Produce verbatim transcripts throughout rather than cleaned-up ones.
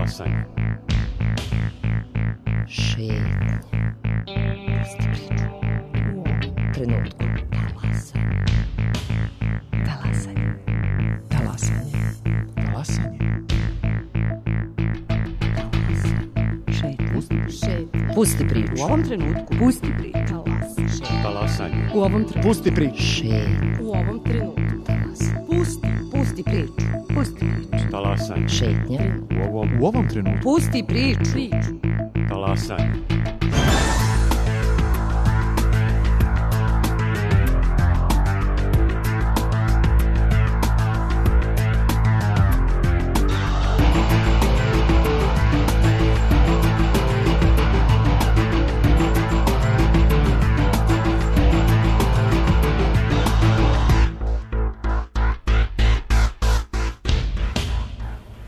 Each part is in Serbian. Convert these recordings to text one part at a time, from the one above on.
Talasanje. Šetnja. Pusti priču. U ovom trenutku. Talasanje. Talasanje. Talasanje. Talasanje. Šetnja. Šetnja. Pusti priču. U ovom trenutku. Pusti priču. Talasanje. Talasanje. U ovom trenutku. Pusti priču. Šetnja. U ovom trenutku. Talasanje. Pusti. Pusti priču. Pusti priču. Talasanje. Šetnja. U ovom, U ovom trenutku. Pusti priču. Priču. talasanje.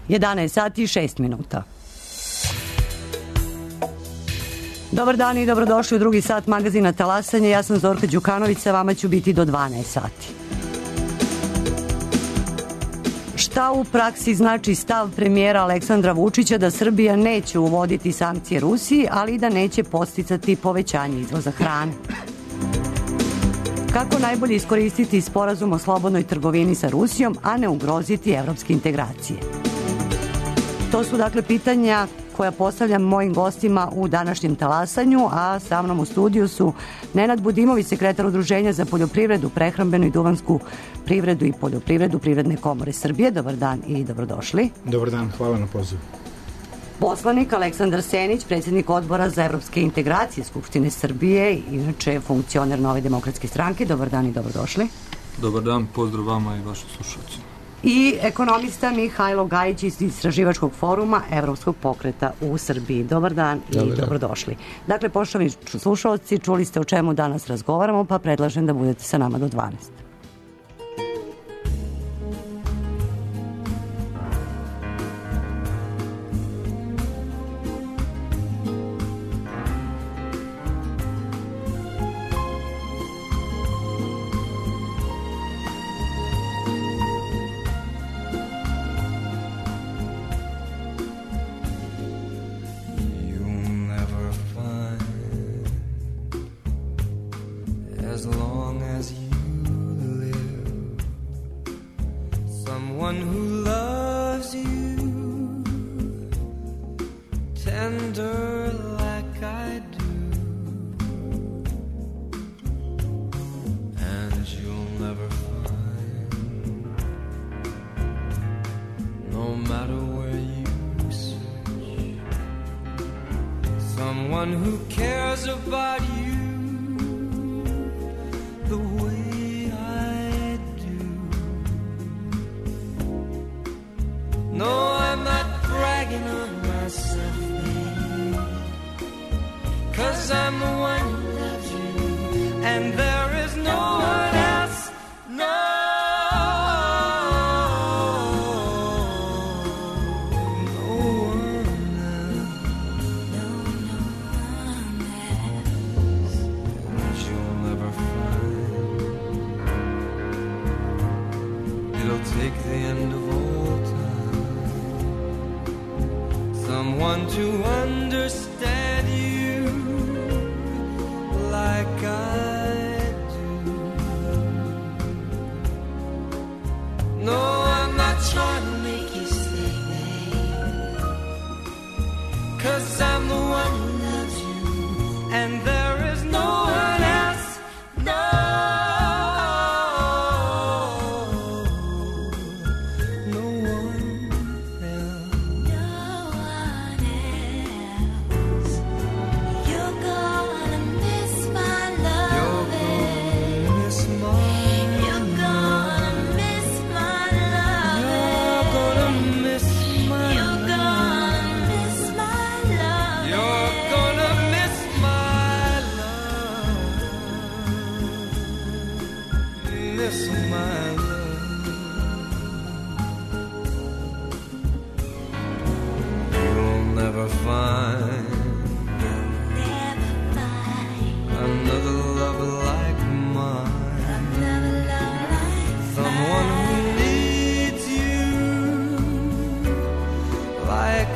jedanaest sati i šest minuta. Dobar dan i dobrodošli u drugi sat magazina Talasanje. Ja sam Zorka Đukanović, sa vama ću biti do dvanaest sati. Šta u praksi znači stav premijera Aleksandra Vučića da Srbija neće uvoditi sankcije Rusiji, ali i da neće podsticati povećanje izvoza hrane? Kako najbolje iskoristiti sporazum o slobodnoj trgovini sa Rusijom, a ne ugroziti evropske integracije? To su dakle pitanja koja postavljam mojim gostima u današnjem Talasanju, a sa mnom u studiju su Nenad Budimović, sekretar Udruženja za poljoprivredu, prehrambenu i duvansku privredu i poljoprivredu Privredne komore Srbije. Dobar dan i dobrodošli. Dobar dan, hvala na pozivu. Poslanik Aleksandar Senić, predsjednik odbora za evropske integracije Skupštine Srbije, inače funkcioner Nove demokratske stranke. Dobar dan i dobrodošli. Dobar dan, pozdrav vama i vašim slušalcima. I ekonomista Mihajlo Gajić iz Istraživačkog foruma Evropskog pokreta u Srbiji. Dobar dan i Dobar dan. Dobrodošli. Dakle, poštovani slušalci, čuli ste o čemu danas razgovaramo, pa predlažem da budete sa nama do dvanaest. As long as you live, someone who loves you tender like I do, and you'll never find, no matter where you search, someone who cares about you the way I do. No, I'm not bragging on myself, baby, 'cause I'm the one who loves you, and there is no one else, no, no one else, no, no one else, and you'll never find. It'll take the end of all time, someone to understand you like I do. No, I'm not trying to make you stay, babe, 'cause I'm the one who loves you, and there is no one else, no.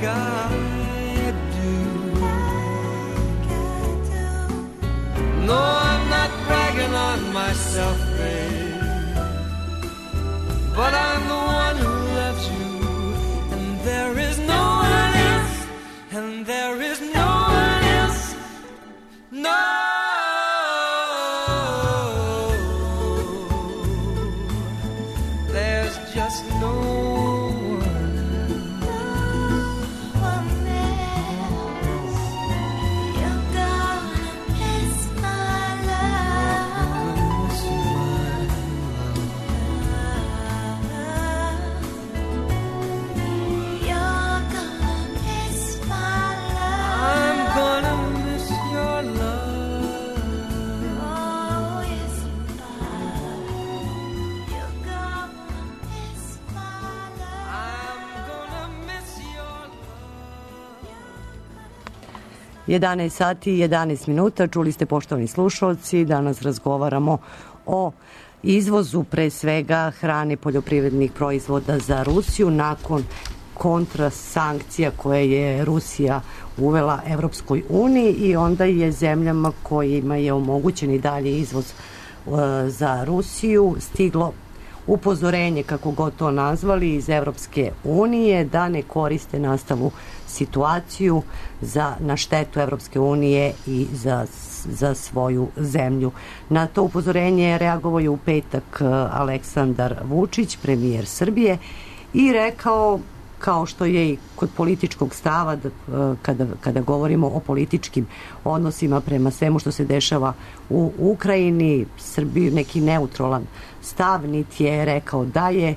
God. afraid. But I'm the one who loves you, and there is no one else, and there is no one else, no. There's just no jedanaest sati i jedanaest minuta, čuli ste poštovani slušalci, danas razgovaramo o izvozu pre svega hrane, poljoprivrednih proizvoda za Rusiju nakon kontrasankcija koje je Rusija uvela Evropskoj uniji i onda je zemljama kojima je omogućen i dalje izvoz uh, za Rusiju stiglo upozorenje, kako god to nazvali, iz Evropske unije da ne koriste nastalu situaciju za, na štetu Evropske unije i za, za svoju zemlju. Na to upozorenje je reagovao je u petak Aleksandar Vučić, premijer Srbije, i rekao, kao što je i kod političkog stava, da, kada, kada govorimo o političkim odnosima prema svemu što se dešava u Ukrajini, Srbiju neki neutralan stav, niti je rekao da je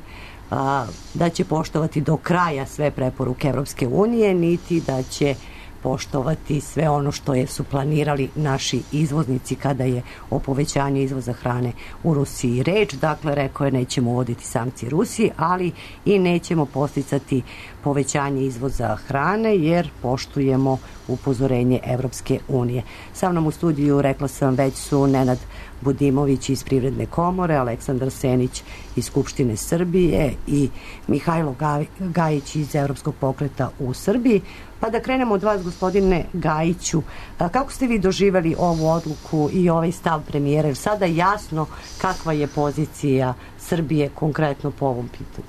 a, da će poštovati do kraja sve preporuke Evropske unije, niti da će poštovati sve ono što je su planirali naši izvoznici kada je o povećanju izvoza hrane u Rusiji reč. Dakle, rekao je nećemo uvoditi sankcije Rusiji, ali i nećemo posticati povećanje izvoza hrane jer poštujemo upozorenje Evropske unije. Sa mnom u studiju, rekla sam već, su Nenad Budimović iz Privredne komore, Aleksandar Senić iz Skupštine Srbije i Mihajlo Gajić iz Evropskog pokreta u Srbiji. Pa da krenemo od vas, gospodine Gajiću, kako ste vi doživeli ovu odluku i ovaj stav premijera? Jer sada jasno kakva je pozicija Srbije konkretno po ovom pitanju.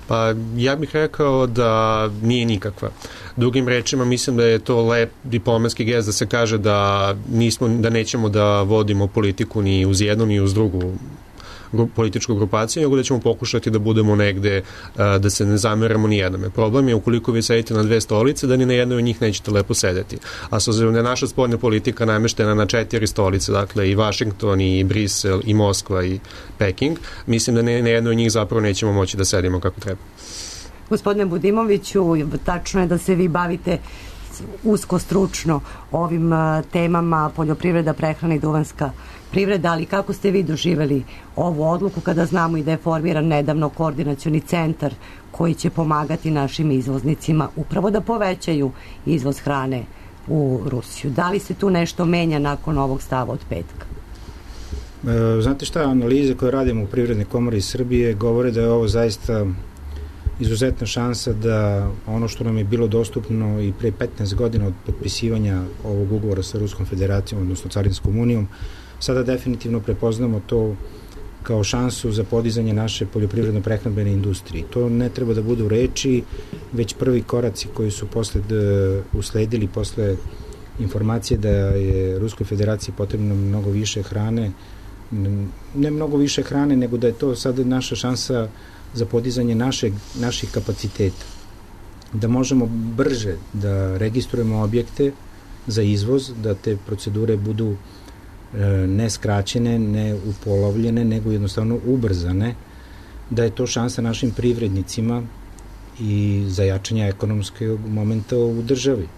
Pa ja bih rekao da nije nikakva. Drugim rečima, mislim da je to lep diplomatski gest da se kaže da nismo, da nećemo da vodimo politiku ni uz jednu ni uz drugu političku grupaciju, nego da ćemo pokušati da budemo negde, da se ne zameramo ni jednome. Problem je ukoliko vi sedite na dve stolice, da ni na jednoj od njih nećete lepo sedeti. A s obzirom da je naša spoljna politika nameštena na četiri stolice, dakle i Vašington, i Brisel, i Moskva, i Peking, mislim da ne, na jednoj od njih zapravo nećemo moći da sedimo kako treba. Gospodine Budimoviću, tačno je da se vi bavite usko stručno ovim temama poljoprivreda, prehrana i duvanska privreda, ali kako ste vi doživeli ovu odluku kada znamo i da je formiran nedavno koordinacioni centar koji će pomagati našim izvoznicima upravo da povećaju izvoz hrane u Rusiju? Da li se tu nešto menja nakon ovog stava od petka? E, znate šta, analize koje radimo u Privrednoj komori Srbije govore da je ovo zaista izuzetna šansa da ono što nam je bilo dostupno i pre petnaest godina od potpisivanja ovog ugovora sa Ruskom federacijom, odnosno Carinskom unijom, sada definitivno prepoznamo to kao šansu za podizanje naše poljoprivredno-prehrambene industrije. To ne treba da bude u reči, već prvi koraci koji su posle usledili posle informacije da je Ruskoj federaciji potrebno mnogo više hrane, ne mnogo više hrane, nego da je to sada naša šansa za podizanje našeg, naših kapaciteta. Da možemo brže da registrujemo objekte za izvoz, da te procedure budu ne skraćene, ne upolovljene, nego jednostavno ubrzane, da je to šansa našim privrednicima i za jačanje ekonomskog momenta u državi.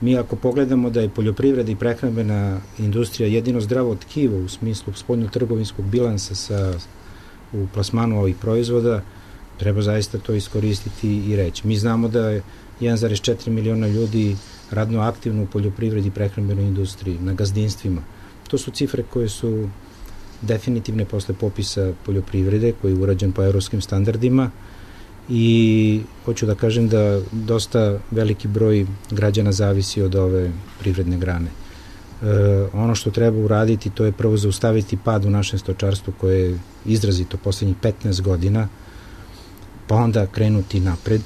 Mi ako pogledamo da je poljoprivreda i prehrambena industrija jedino zdravo tkivo u smislu spoljno-trgovinskog bilansa sa, u plasmanu ovih proizvoda, treba zaista to iskoristiti i reći. Mi znamo da je jedan zarez četiri miliona ljudi radno aktivno u poljoprivredi i prehrambenoj industriji, na gazdinstvima. To su cifre koje su definitivne posle popisa poljoprivrede koji je urađen po evropskim standardima i hoću da kažem da dosta veliki broj građana zavisi od ove privredne grane. ono što treba uraditi, to je prvo zaustaviti pad u našem stočarstvu koje je izrazito poslednjih petnaest godina, pa onda krenuti napred.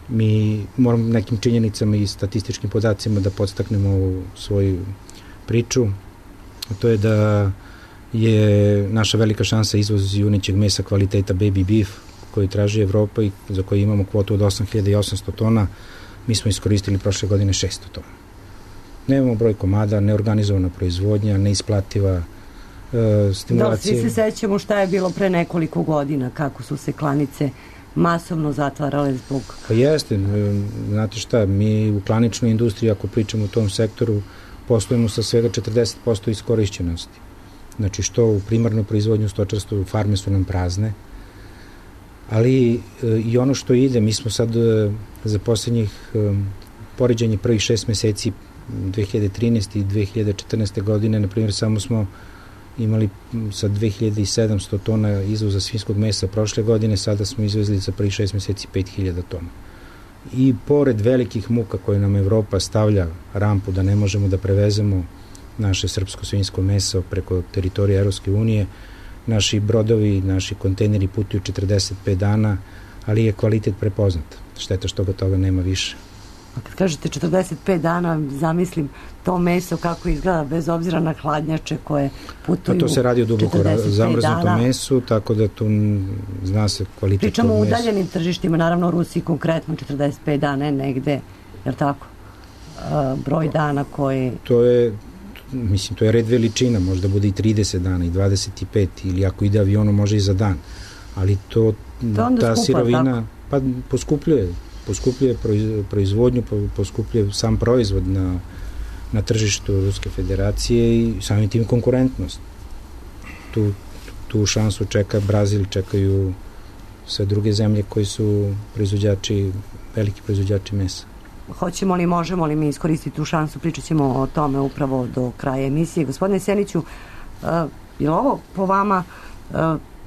Mi moramo nekim činjenicama i statističkim podacima da podstaknemo ovu svoju priču. To je da je naša velika šansa izvoz junećeg mesa kvaliteta baby beef koji traži Evropa i za koji imamo kvotu od osam hiljada osamsto tona. Mi smo iskoristili prošle godine šesto tona. Nemamo broj komada, neorganizovana proizvodnja, neisplativa e, stimulacije. Da, svi se sećamo šta je bilo pre nekoliko godina, kako su se klanice masovno zatvarale zbog... Pa jeste, znate šta, mi u klaničnoj industriji, ako pričamo u tom sektoru, poslujemo sa svega četrdeset posto iskorišćenosti. Znači što u primarnoj proizvodnju stočarstvu, farme su nam prazne, ali i ono što ide, mi smo sad za poslednjih poređenje prvih šest meseci dve hiljade trinaeste i dve hiljade četrnaeste godine, na primjer, samo smo imali sa dve hiljade sedamsto tona izvoza svinjskog mesa prošle godine, sada smo izvezli za prvih šest meseci pet hiljada tona. I pored velikih muka koje nam Evropa stavlja rampu da ne možemo da prevezemo naše srpsko svinjsko meso preko teritorije Evropske unije, naši brodovi, naši kontejneri putuju četrdeset pet dana, ali je kvalitet prepoznat. Šteta što ga toga nema više. A kad kažete četrdeset pet dana, zamislim to meso kako izgleda bez obzira na hladnjače koje putuju. A to se radi o duboko zamrznutom mesu, tako da tu zna se kvalitet tog mesa. Pričamo o udaljenim tržištima, naravno u Rusiji konkretno četrdeset pet dana je negde, jer tako, broj dana koji... To je, mislim, to je red veličina, možda bude i trideset dana i dvadeset pet, ili ako ide avionom može i za dan, ali to, to ta skupa, sirovina, tako? Pa poskupljuje poskupljuje proizvodnju, poskupljuje sam proizvod na, na tržištu Ruske federacije i samim tim konkurentnost. Tu, tu šansu čeka Brazil, čekaju sve druge zemlje koji su proizvođači, veliki proizvođači mesa. Hoćemo li, možemo li mi iskoristiti tu šansu, pričat ćemo o tome upravo do kraja emisije. Gospodine Seniću, uh, je li ovo po vama uh,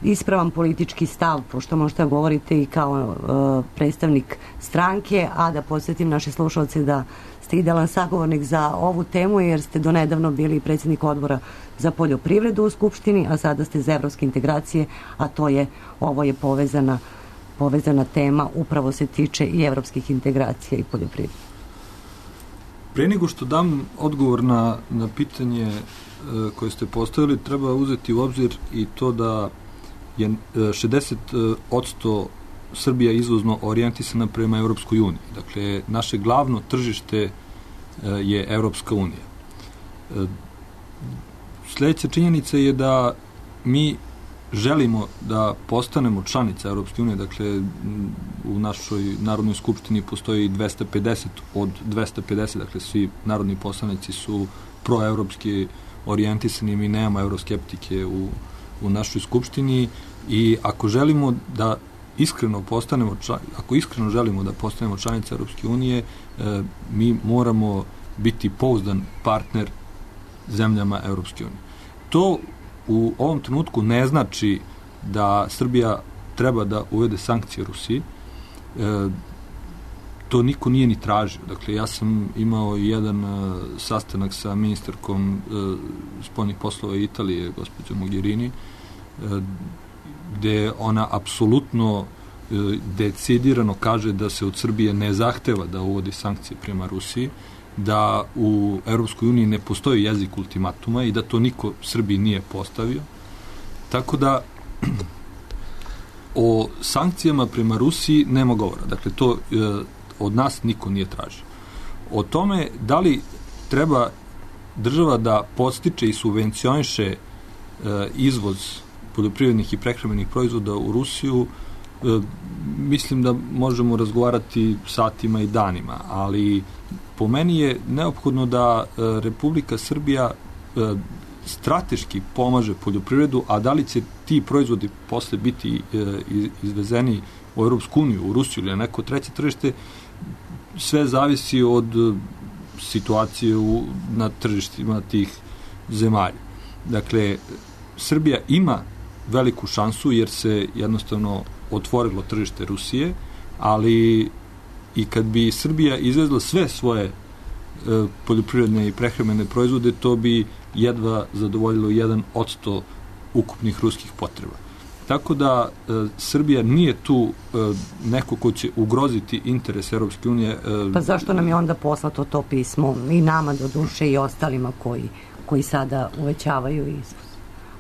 ispravan politički stav, pošto možete govorite i kao uh, predstavnik stranke, a da podsjetim naše slušalce da ste idealan sagovornik za ovu temu, jer ste donedavno bili predsjednik odbora za poljoprivredu u Skupštini, a sada ste za evropske integracije, a to je, ovo je povezana, povezana tema, upravo se tiče i evropskih integracija i poljoprivrede. Pre nego što dam odgovor na, na pitanje e, koje ste postavili, treba uzeti u obzir i to da je šezdeset posto Srbija izvozno orijentisana prema Evropskoj uniji. Dakle, naše glavno tržište je Evropska unija. Sljedeća činjenica je da mi želimo da postanemo članica Evropske unije, dakle, u našoj Narodnoj skupštini postoji dvesta pedeset od dvesta pedeset, dakle, svi narodni poslanici su proevropski orijentisani, mi nemamo evroskeptike u u našoj skupštini i ako želimo da iskreno postanemo član, ako iskreno želimo da postanemo članica Europske unije, e, mi moramo biti pouzdan partner zemljama Europske unije. To u ovom trenutku ne znači da Srbija treba da uvede sankcije Rusiji. E, to niko nije ni tražio. Dakle, ja sam imao jedan uh, sastanak sa ministarkom uh, spoljnih poslova Italije, gospođom Mogherini, uh, gde ona apsolutno uh, decidirano kaže da se od Srbije ne zahteva da uvodi sankcije prema Rusiji, da u Evropskoj uniji ne postoji jezik ultimatuma i da to niko Srbiji nije postavio. Tako da o sankcijama prema Rusiji nema govora. Dakle, to uh, od nas niko nije tražio. O tome da li treba država da podstiče i subvencioniše e, izvoz poljoprivrednih i prehrambenih proizvoda u Rusiju, e, mislim da možemo razgovarati satima i danima, ali po meni je neophodno da e, Republika Srbija e, strateški pomaže poljoprivredu, a da li će ti proizvodi posle biti e, izvezeni u Europsku uniju, u Rusiju ili na neko treće tržište, sve zavisi od situacije u, na tržištima tih zemalja. Dakle, Srbija ima veliku šansu jer se jednostavno otvorilo tržište Rusije, ali i kad bi Srbija izvezla sve svoje poljoprivredne i prehrambene proizvode, to bi jedva zadovoljilo jedan odsto ukupnih ruskih potreba. Tako da e, Srbija nije tu e, neko ko će ugroziti interes Europske unije. E, pa zašto nam je onda poslato to pismo i nama do duše i ostalima koji, koji sada uvećavaju izvoz?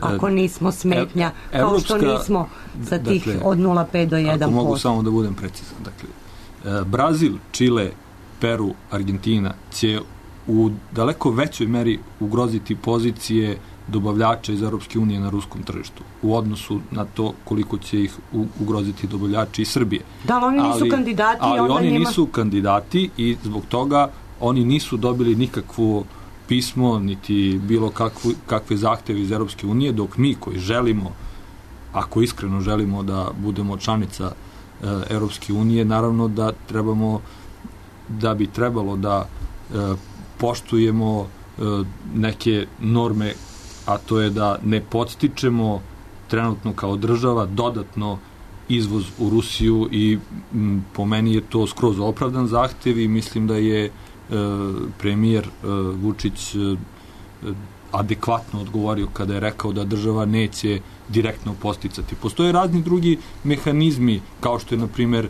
Ako nismo smetnja, e, kao što nismo sa tih dakle, od nula zarez pet do jedan posto. Ako mogu samo da budem precizan. Dakle, e, Brazil, Čile, Peru, Argentina će u daleko većoj meri ugroziti pozicije dobavljača iz Europske unije na ruskom tržištu u odnosu na to koliko će ih ugroziti dobavljači iz Srbije. Da, ali oni nisu ali, kandidati. Ali onda oni njima... nisu kandidati i zbog toga oni nisu dobili nikakvo pismo, niti bilo kakvu, kakve zahteve iz Europske unije, dok mi koji želimo, ako iskreno želimo da budemo članica e, Europske unije, naravno da trebamo, da bi trebalo da e, poštujemo e, neke norme, a to je da ne podstičemo trenutno kao država dodatno izvoz u Rusiju i m, po meni je to skroz opravdan zahtev i mislim da je e, premijer e, Vučić e, adekvatno odgovorio kada je rekao da država neće direktno posticati. Postoje razni drugi mehanizmi, kao što je, na primjer,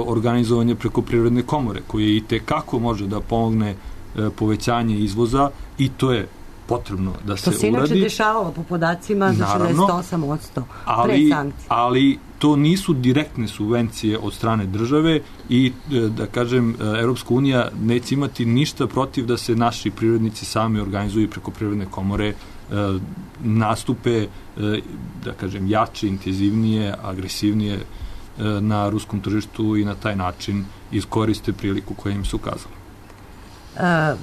organizovanje preko privredne komore, koje i tekako može da pomogne e, povećanje izvoza i to je potrebno da se uradi. To se inače dešavalo po podacima za šezdeset osam posto pre sankcije. Ali to nisu direktne subvencije od strane države i, da kažem, Europska unija neće imati ništa protiv da se naši privrednici sami organizuju preko privredne komore, nastupe, da kažem, jače, intenzivnije, agresivnije na ruskom tržištu i na taj način iskoriste priliku koja im se ukazala. Uh,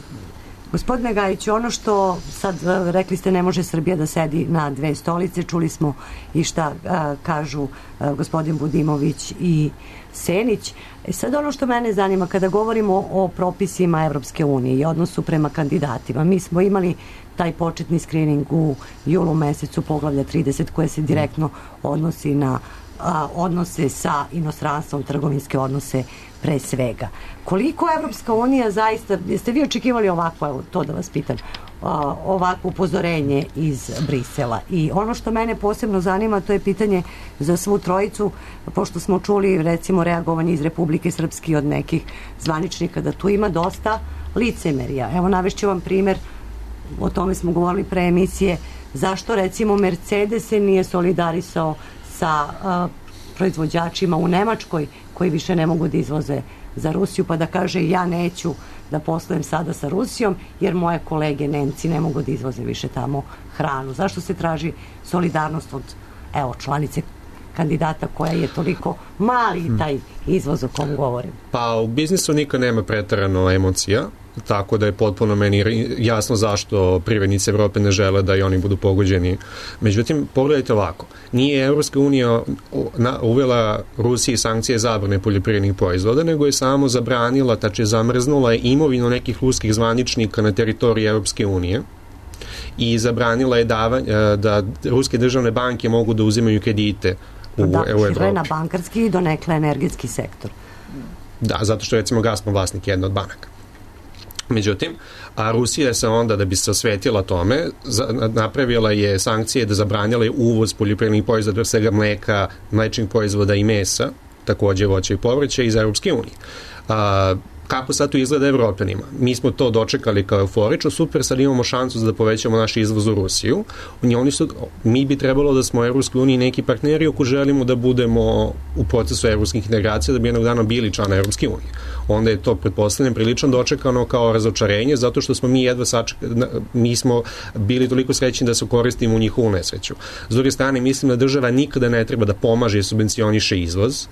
Gospodine Gajiću, ono što sad rekli ste, ne može Srbija da sedi na dve stolice, čuli smo i šta a, kažu a, gospodin Budimović i Senić. E sad ono što mene zanima, kada govorimo o propisima Evropske unije i odnosu prema kandidatima, mi smo imali taj početni skrining u julu mesecu poglavlja trideset koje se direktno odnosi na a, odnose sa inostranstvom, trgovinske odnose pre svega. Koliko Evropska unija zaista, jeste vi očekivali ovako, evo, to da vas pitam, ovako upozorenje iz Brisela? I ono što mene posebno zanima, to je pitanje za svu trojicu, pošto smo čuli, recimo, reagovanje iz Republike Srpske od nekih zvaničnika, da tu ima dosta licemerija. Evo, navešću vam primer, o tome smo govorili pre emisije, zašto, recimo, Mercedes se nije solidarisao sa a, proizvođačima u Nemačkoj koji više ne mogu da izvoze za Rusiju, pa da kaže ja neću da poslujem sada sa Rusijom jer moje kolege Nemci ne mogu da izvoze više tamo hranu. Zašto se traži solidarnost od, evo, članice kandidata koja je toliko mali taj izvoz o kom govorim? Pa u biznisu nikad nema preterano emocija, tako da je potpuno meni jasno zašto privrednici Evrope ne žele da i oni budu pogođeni. Međutim, pogledajte ovako, nije Evropska unija uvela Rusiji sankcije zabrane poljoprivrednih proizvoda, nego je samo zabranila, tače zamrznula imovinu nekih ruskih zvaničnika na teritoriji Evropske unije i zabranila je davanje, da ruske državne banke mogu da uzimaju kredite u, da, u Evropi. šire na bankarski i donekle energetski sektor. Da, zato što recimo Gazprom vlasnik jedna od banaka. Međutim, a Rusija se onda, da bi se osvetila tome, za, napravila je sankcije da zabranjala je uvoz poljoprivrednih proizvoda, svega mleka, mlečnih proizvoda i mesa, takođe voća i povrća iz Europske unije. A, kako sad to izgleda Evropljanima? Mi smo to dočekali kao euforično, super, sad imamo šansu da povećamo naš izvoz u Rusiju. Oni su, mi bi trebalo da smo u Evropskoj uniji neki partneri ako želimo da budemo u procesu evropskih integracija, da bi jednog dana bili člana Evropske unije. Onda je to, pretpostavljam, prilično dočekano kao razočarenje, zato što smo mi jedva sačekali, mi smo bili toliko srećni da se koristimo u njihovu nesreću. S druge strane, mislim da država nikada ne treba da pomaže i subvencioniše izvoz.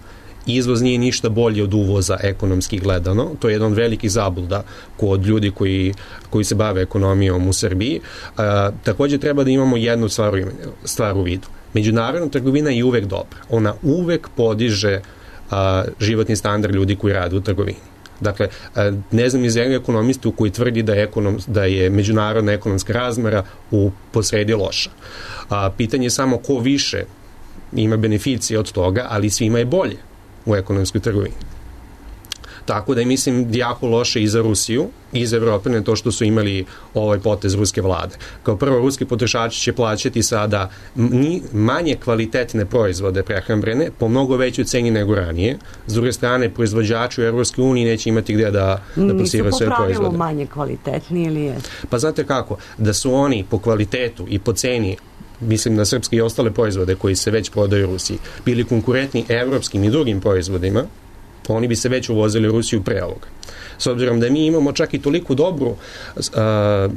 Izvoz nije ništa bolje od uvoza ekonomski gledano. To je jedan od velikih zabluda kod ljudi koji, koji se bave ekonomijom u Srbiji. A, takođe treba da imamo jednu stvar, stvar u vidu. Međunarodna trgovina je uvek dobra. Ona uvek podiže a, životni standard ljudi koji rade u trgovini. Dakle, a, ne znam iz jednog ekonomistu koji tvrdi da je, ekonom, da je međunarodna ekonomska razmera u posredi loša. A, pitanje je samo ko više ima beneficije od toga, ali svima je bolje u ekonomskoj trgovini. Tako da je, mislim, jako loše i za Rusiju i za Evrope na to što su imali ovaj potez ruske vlade. Kao prvo, ruski potrošači će plaćati sada manje kvalitetne proizvode prehrambene po mnogo većoj ceni nego ranije. S druge strane, proizvođači u Evropskoj uniji neće imati gde da, da plasiraju svoje proizvode. Nisu po pravilu manje kvalitetni ili je? Pa znate kako, da su oni po kvalitetu i po ceni, mislim na srpske i ostale proizvode koji se već prodaju u Rusiji, bili konkurentni evropskim i drugim proizvodima, oni bi se već uvozili u Rusiju pre ovoga. S obzirom da mi imamo čak i toliko dobru uh,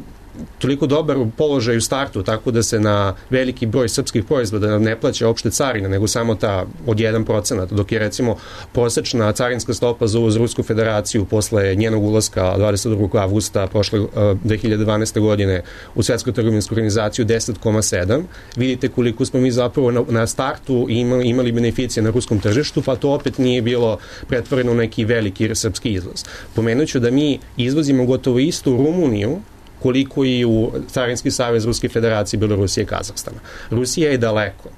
toliko dobar položaj u startu, tako da se na veliki broj srpskih proizvoda ne plaća opšte carina, nego samo ta od jedan procenat, dok je recimo prosečna carinska stopa za uvoz Rusku federaciju posle njenog ulaska dvadeset drugog avgusta prošle uh, dve hiljade dvanaeste. godine u Svetsku trgovinsku organizaciju deset zarez sedam. Vidite koliko smo mi zapravo na, na startu imali, imali beneficije na ruskom tržištu, pa to opet nije bilo pretvoreno u neki veliki srpski izvoz. Pomenuću da mi izvozimo gotovo istu Rumuniju koliko i u Carinski savez Ruske federacije, Belorusije i Kazahstana. Rusija je daleko.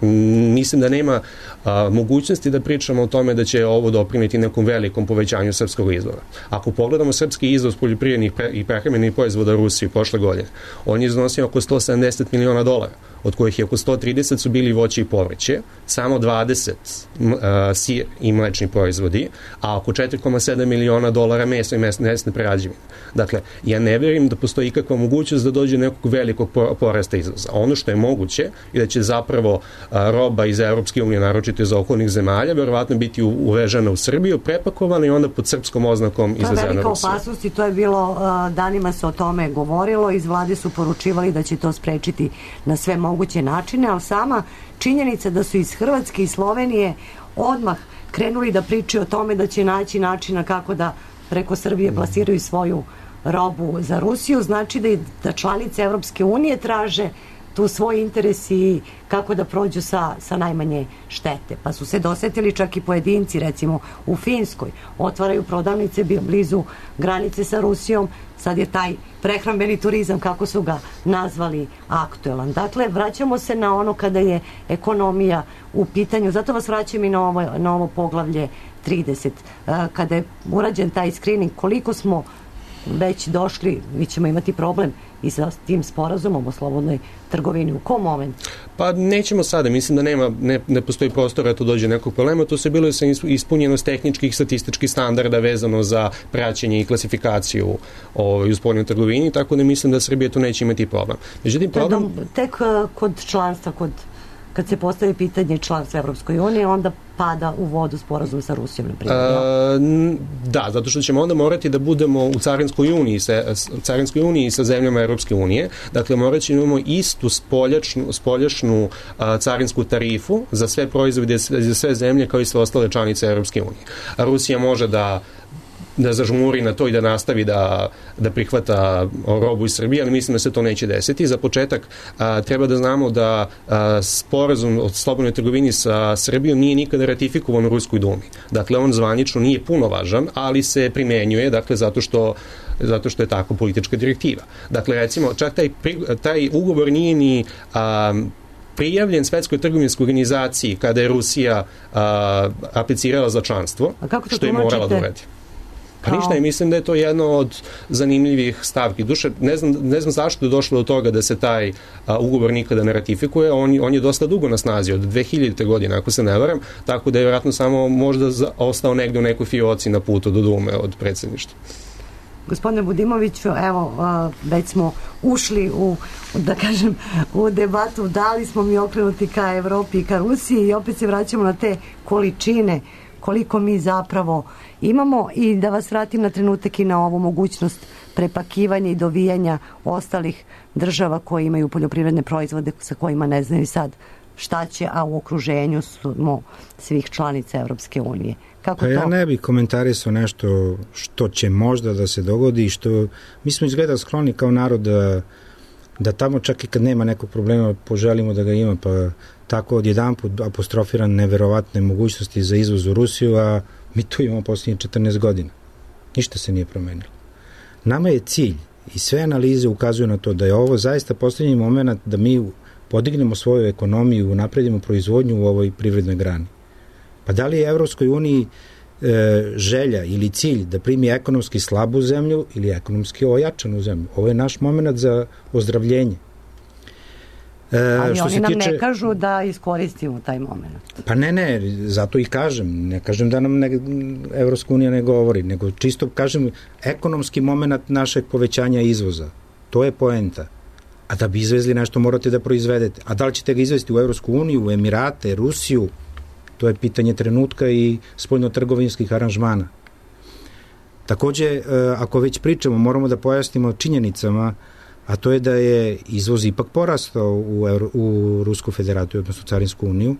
Mislim da nema a, mogućnosti da pričamo o tome da će ovo doprineti nekom velikom povećanju srpskog izvoza. Ako pogledamo srpski izvoz poljoprivrednih pre, i prehrambenih proizvoda u Rusiji prošle godine, on je iznosio oko sto sedamdeset miliona dolara, od kojih je oko sto trideset su bili voće i povrće, samo dvadeset a, sir i mlečni proizvodi, a oko četiri zarez sedam miliona dolara meso i mesne prerađevine. Dakle, ja ne verujem da postoji ikakva mogućnost da dođe nekog velikog porasta izvoza. Ono što je moguće je da će zapravo a, roba iz Evropske unije, naročito iz okolnih zemalja, verovatno biti uvežena u Srbiju, prepakovana i onda pod srpskom oznakom izvezena Rusija. To je velika opasnost i to je bilo, uh, danima se o tome govorilo, iz vlade su poručivali da će to sprečiti na sve moguće načine, ali sama činjenica da su iz Hrvatske i Slovenije odmah krenuli da pričaju o tome da će naći načina kako da preko Srbije plasiraju svoju robu za Rusiju, znači da, da članice Evropske unije traže tu svoj interes i kako da prođu sa, sa najmanje štete. Pa su se dosetili čak i pojedinci, recimo u Finskoj, otvaraju prodavnice blizu granice sa Rusijom, sad je taj prehrambeni turizam, kako su ga nazvali, aktuelan. Dakle, vraćamo se na ono kada je ekonomija u pitanju, zato vas vraćam i na ovo, na ovo poglavlje trideset. Kada je urađen taj screening, koliko smo već došli, mi ćemo imati problem i sa tim sporazumom o slobodnoj trgovini. U kom momentu? Pa nećemo sada, mislim da nema, ne, ne postoji prostora da to dođe nekog problema, to se bilo sa ispunjenost tehničkih statističkih standarda vezano za praćenje i klasifikaciju ovaj, u spoljnoj trgovini, tako da mislim da Srbija tu neće imati problem. Međutim, problem... Tek kod članstva, kod kad se postavi pitanje članstva Evropskoj uniji, onda pada u vodu sporazum sa Rusijom, na primjer. Da, zato što ćemo onda morati da budemo u Carinskoj uniji sa, Carinskoj uniji sa zemljama Evropske unije. Dakle, morat ćemo imamo istu spoljašnu, spoljašnu a, carinsku tarifu za sve proizvode, za sve zemlje kao i sve ostale članice Evropske unije. A Rusija može da da zažmuri na to i da nastavi da, da prihvata robu iz Srbije, ali mislim da se to neće desiti. Za početak a, treba da znamo da a, sporazum o slobodnoj trgovini sa Srbijom nije nikada ratifikovan u Ruskoj dumi. Dakle, on zvanično nije puno važan, ali se primenjuje, dakle, zato što zato što je tako politička direktiva. Dakle, recimo, čak taj, taj ugovor nije ni a, prijavljen Svetskoj trgovinskoj organizaciji kada je Rusija a, aplicirala za članstvo, što je morala da uradi. Pa ništa, i mislim da je to jedno od zanimljivih stavki. Duše, ne znam, ne znam zašto je došlo do toga da se taj a, ugovor nikada ne ratifikuje. On, on je dosta dugo na snazi, od dve hiljadite. godine, ako se ne varam, tako da je vjerojatno samo možda za, ostao negde u nekoj fioci na putu do Dume od predsjedništva. Gospodine Budimoviću, evo, već smo ušli u, da kažem, u debatu, da li smo mi okrenuti ka Evropi i ka Rusiji i opet se vraćamo na te količine koliko mi zapravo imamo i da vas vratim na trenutak i na ovu mogućnost prepakivanja i dovijanja ostalih država koje imaju poljoprivredne proizvode sa kojima ne znaju sad šta će, a u okruženju smo svih članica Evropske unije. Kako pa to? Ja ne bih komentarisao nešto što će možda da se dogodi i što mi smo izgleda skloni kao narod da, da tamo čak i kad nema nekog problema poželimo da ga ima, pa tako odjedan put apostrofiran neverovatne mogućnosti za izvoz u Rusiju, a mi tu imamo posljednje četrnaest godina. Ništa se nije promenilo. Nama je cilj i sve analize ukazuju na to da je ovo zaista posljednji moment da mi podignemo svoju ekonomiju, napredimo proizvodnju u ovoj privrednoj grani. Pa da li je Evropskoj uniji e, želja ili cilj da primi ekonomski slabu zemlju ili ekonomski ojačanu zemlju. Ovo je naš moment za ozdravljenje. E, Ali oni nam tiče, ne kažu da iskoristimo taj moment. Pa ne, ne, zato i kažem. Ne kažem da nam ne, Evropska unija ne govori, nego čisto kažem ekonomski moment našeg povećanja izvoza. To je poenta. A da bi izvezli nešto morate da proizvedete. A da li ćete ga izvesti u Evropsku uniju, u Emirate, Rusiju? To je pitanje trenutka i spoljno-trgovinskih aranžmana. Takođe, ako već pričamo, moramo da pojasnimo činjenicama, a to je da je izvoz ipak porastao u, Euro, u Rusku federaciju, odnosno Carinsku uniju,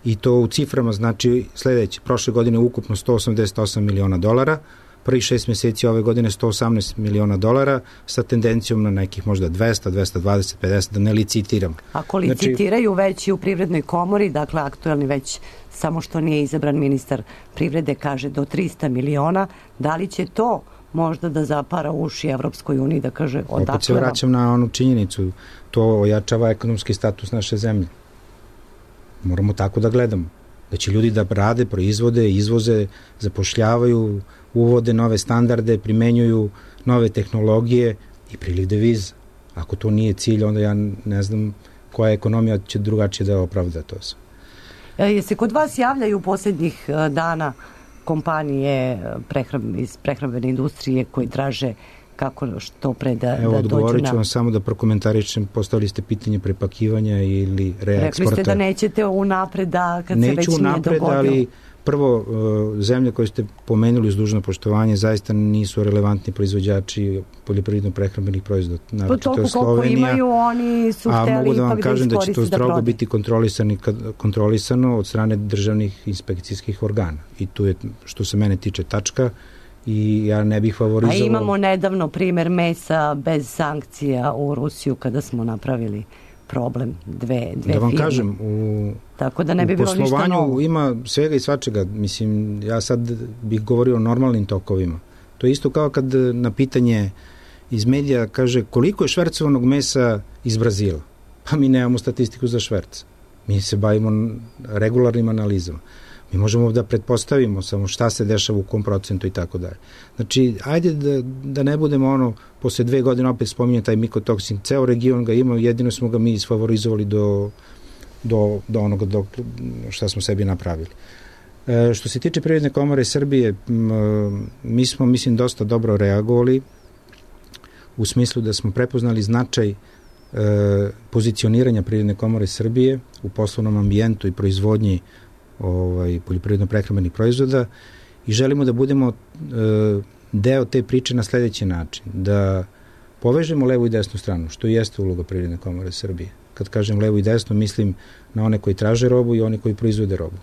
i to u ciframa znači sledeće. Prošle godine ukupno sto osamdeset osam miliona dolara, prvih šest meseci ove godine sto osamnaest miliona dolara, sa tendencijom na nekih možda dvesta, dvesta dvadeset, pedeset, da ne licitiram. Ako licitiraju znači, već i u Privrednoj komori, dakle aktuelni već, samo što nije izabran ministar privrede, kaže do trista miliona, da li će to možda da zapara uši Evropskoj uniji, da kaže odakle. Opet se vraćam na onu činjenicu, to ojačava ekonomski status naše zemlje. Moramo tako da gledamo. Da će ljudi da rade, proizvode, izvoze, zapošljavaju, uvode nove standarde, primenjuju nove tehnologije i priliv deviza. Ako to nije cilj, onda ja ne znam koja ekonomija će drugačije da opravda to sve. E, je se kod vas javljaju u posljednjih dana kompanije prehram, iz prehrambene industrije koji traže kako što pre da, Evo, da dođu na... Evo, odgovorit ću vam samo da prokomentarišem, postavili ste pitanje prepakivanja ili reeksporta. Rekli ste da nećete unapred da kad Neću se već nije unapred, dogodio. Ali prvo, zemlje koje ste pomenuli uz dužno poštovanje zaista nisu relevantni proizvođači poljoprivredno-prehrambenih proizvoda. Po toliko koliko imaju, oni su hteli ipak da iskoriste da A mogu da vam kažem da, da će to strogo biti kontrolisano od strane državnih inspekcijskih organa. I tu je, što se mene tiče, tačka. I ja ne bih favorizovao... A imamo nedavno primer mesa bez sankcija u Rusiju kada smo napravili problem dve, dve da vam firme. Kažem, u, Tako da ne bi u bilo ništa novo. Ima svega i svačega. Mislim, ja sad bih govorio o normalnim tokovima. To je isto kao kad na pitanje iz medija kaže koliko je švercovanog mesa iz Brazila. Pa mi nemamo statistiku za šverc. Mi se bavimo regularnim analizama. Mi možemo da pretpostavimo samo šta se dešava u kom procentu i tako dalje. Znači, ajde da, da ne budemo ono, posle dve godine opet spominje taj mikotoksin, ceo region ga ima, jedino smo ga mi isfavorizovali do, do, do onoga do, šta smo sebi napravili. E, što se tiče Privredne komore Srbije, m, mi smo, mislim, dosta dobro reagovali u smislu da smo prepoznali značaj e, pozicioniranja Privredne komore Srbije u poslovnom ambijentu i proizvodnji ovaj, poljoprivredno-prehrambenih proizvoda i želimo da budemo e, deo te priče na sledeći način, da povežemo levu i desnu stranu, što i jeste uloga Privredne komore Srbije. Kad kažem levo i desno, mislim na one koji traže robu i one koji proizvode robu.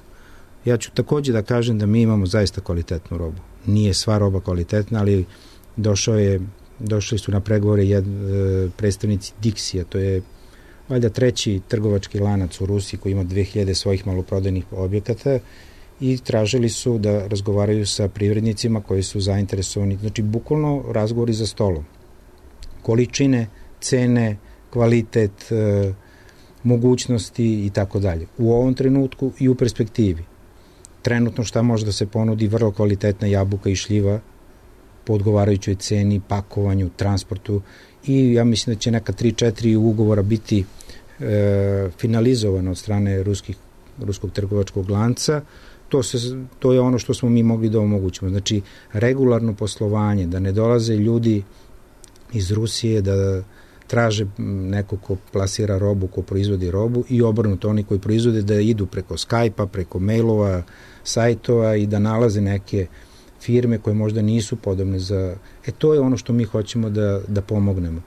Ja ću takođe da kažem da mi imamo zaista kvalitetnu robu. Nije sva roba kvalitetna, ali došao je, došli su na pregovore jed, e, predstavnici Dixija, to je valjda treći trgovački lanac u Rusiji koji ima dve hiljade svojih maloprodajnih objekata i tražili su da razgovaraju sa privrednicima koji su zainteresovani. Znači, bukvalno razgovori za stolom. Količine, cene, kvalitet, e, mogućnosti i tako dalje. U ovom trenutku i u perspektivi. Trenutno šta može da se ponudi vrlo kvalitetna jabuka i šljiva po odgovarajućoj ceni, pakovanju, transportu i ja mislim da će neka tri četiri ugovora biti e, finalizovano od strane ruskih, ruskog trgovačkog lanca. To, se, to je ono što smo mi mogli da omogućimo. Znači, regularno poslovanje, da ne dolaze ljudi iz Rusije da traže neko ko plasira robu, ko proizvodi robu i obrnuto oni koji proizvode da idu preko Skype-a, preko mailova, sajtova i da nalaze neke firme koje možda nisu podobne za... E to je ono što mi hoćemo da, da pomognemo.